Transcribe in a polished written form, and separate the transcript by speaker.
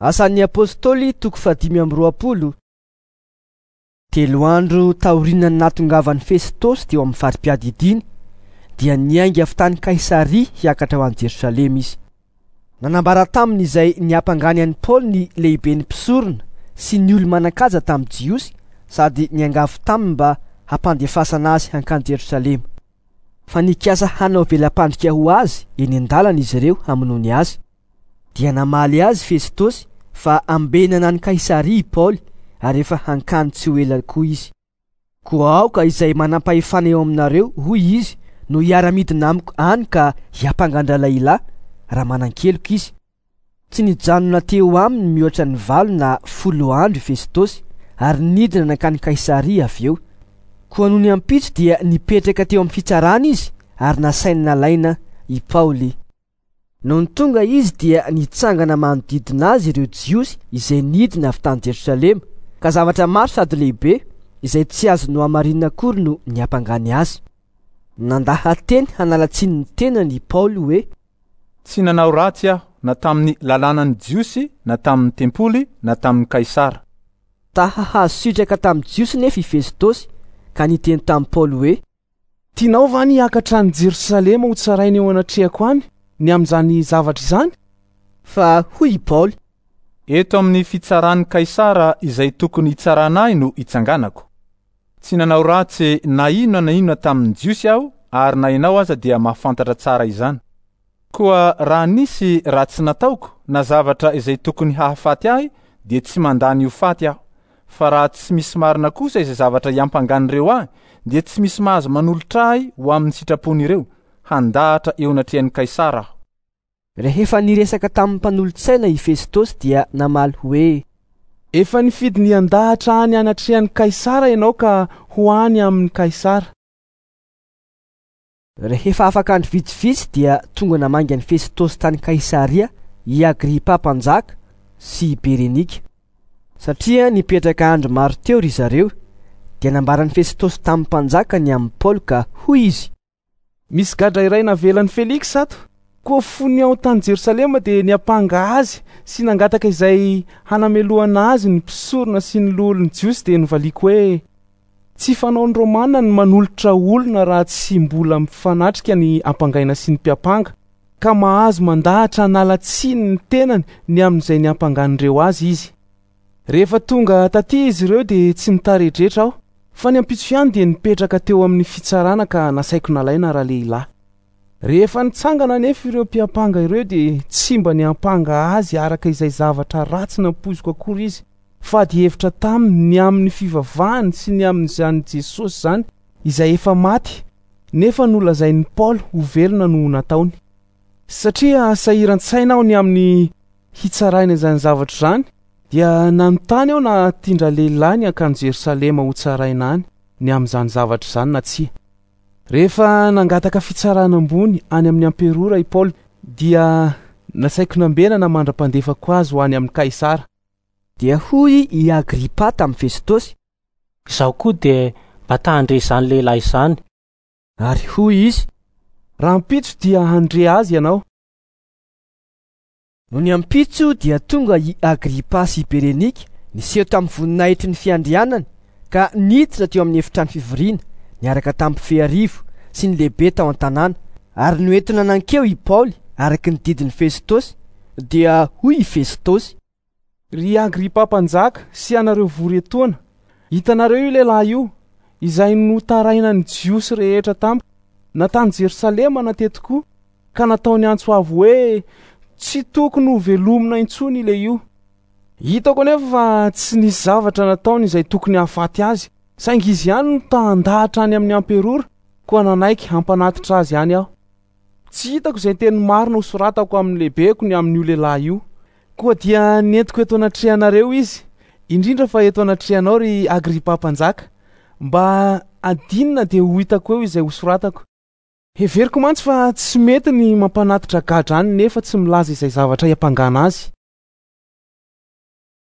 Speaker 1: Asan'ny Apostoly toko fahadimy amby roapolo. Telo andro taorian'ny nahatongavan'i Festosy teo amin'ny fari-piadidiany, dia niainga avy tany Kaisaria hiakatra ho any Jerosalema izy. Nanambara taminy izay niampangany an'i Paoly ny lehiben'ny mpisorona sy ny olo-manan-kaja tamin'ny Jiosy sady niangavy taminy mba hampandefasana azy hankany Jerosalema. Fa nikasa hanao vela-pandrika ho azy eny an-dalana izy ireo hamonoany azy. Dia namaly azy Festosy fa ambenana any Kaisaria i Paoly ary efa hankany tsy ho ela koa izy. Koa aoka izay manam-pahefana eo aminareo, hoy izy, no hiara-midina amiko any ka hiampanga an-dralehilahy, raha manan-keloka izy. Tsy nijanona teo aminy mihoatra ny valo na folo andro i Festosy ary nidina nankany Kaisaria avy eo. Koa nony ampitso dia nipetraka teo amin'ny fitsarana izy ary nasainy nalaina i Paoly. Nony tonga izy dia nitsangana manodidina azy ireo Jiosy izay nidina avy tany Jerosalema, ka zavatra maro sady lehibe izay tsy azo nohamarinina akory no niampangany azy. Nandaha-teny hanala tsiny ny tenany i Paoly hoe.
Speaker 2: Tsy nanao ratsy aho na tamin'ny lalànan'ny Jiosy na tamin'ny tempoly na tamin'i Kaisara.
Speaker 1: Ta hahazo sitraka tamin'ny Jiosy nefa i Festosy ka niteny tamin'i Paoly hoe.
Speaker 3: Tianao va ny hiakatra any Jerosalema hotsaraina eo anatrehako any ny amin'izany zavatra izany?
Speaker 1: Fa hoy i Paoly.
Speaker 2: Eto amin'ny fitsaran'i Kaisara izay tokony hitsarana ahy no itsanganako. Tsy nanao ratsy na inona na inona tamin'ny Jiosy aho ary na ianao aza dia mahafantatra tsara izany. Koa raha nisy ratsy nataoko na zavatra izay tokony hahafaty ahy dia tsy mandà ny ho faty aho. Fa raha tsy misy marina kosa izay zavatra iampangan'ireo ahy dia tsy misy mahazo manolotra ahy ho amin'ny sitrapon'ireo, handahatra eo anatrehan'i Kaisara aho.
Speaker 1: Rehefa niresaka tamin'ny mpanolotsaina i Festosy dia namaly hoe.
Speaker 3: Efa nifidy ny handahatra any anatrehan'i Kaisara ianao ka ho any amin'i Kaisara.
Speaker 1: Rehefa afaka andro vitsivitsy dia tonga namangy an'i Festosy tany Kaisaria i Agripa mpanjaka sy i Berenika. Satria nipetraka andro maro teo ry zareo, dia nambaran'i Festosy tamin'ny mpanjaka ny amin'i Paoly ka hoy izy.
Speaker 3: Misy gadra iray navelan'i Feliksa ato, koa fony aho tany Jerosalema dia niampanga azy sy nangataka izay hanamelohana azy ny mpisorona sy ny loholon'ny Jiosy dia novaliako hoe, Tsy fanaon'ny Romana ny manolotra olona raha tsy mbola mifanatrika ny ampangaina sy ny mpiampanga, ka mahazo mandahatra hanala tsiny ny tenany ny amin'izay niampangan'ireo azy izy. Rehefa tonga taty izy ireo dia tsy nitaredretra aho, fa ny ampitso ihany dia nipetraka teo amin'ny fitsarana ka nasaiko nalaina ralehilahy. Rehefa nitsangana anefa ireo mpiampanga ireo dia tsy mba niampanga azy araka izay zavatra ratsy nampoiziko akory izy, fa ady hevitra taminy ny amin'ny fivavahany sy ny amin'izany Jesosy izany izay efa maty nefa nolazain'i Paoly ho velona no nataony. Satria sahiran-tsaina aho ny amin'ny hitsaraina izany zavatra izany, dia nanontany aho na tian-dralehilahy ny hankany Jerosalema hotsaraina any ny amin'izany zavatra izany na tsia. Rehefa nangataka fitsarana ambony any amin'ny amperora i Paoly, dia nasaiko nambenana mandra-pandefako azy ho any amin'i Kaisara.
Speaker 1: Dia hoy i Agripa tamin'i Festosy.
Speaker 4: Izaho koa dia mba ta handre izany lehilahy izany.
Speaker 1: Ary hoy izy.
Speaker 3: Rahampitso dia handre azy ianao.
Speaker 1: Nony ampitso dia tonga i Agripa sy i Berenika niseho tamin'ny voninahitry ny fiandrianany ka niditra teo amin'ny efitrano fivoriana niaraka tamin'ny mpifehy arivo sy ny lehibe tao an-tanàna, ary noentina nankeo i Paoly araka ny didin'i Festosy. Dia hoy i Festosy.
Speaker 3: Ry Agripa mpanjaka sy ianareo vory etoana, hitanareo io lehilahy io, izay notarainan'ny Jiosy rehetra tamiko, na tany Jerosalema na teto koa, ka nataony antso avo hoe tsy tokony ho velomina intsony ilehio. Hitako anefa fa tsy nisy zavatra nataony izay tokony hahafaty azy, saingy izy ihany no ta handahatra any amin'ny amperora, koa nanaiky hampanatitra azy any aho. Tsy hitako izay teny marina hosoratako amin'ny lehibeko ny amin'io lehilahy io. Koa dia nentiko eto anatrehanareo izy, indrindra fa eto anatrehanao ry Agripa mpanjaka, mba hadinina dia ho hitako eo izay hosoratako. Heveriko mantsy fa tsy mety ny mampanatitra gadra any nefa tsy milaza izay zavatra iampangana azy.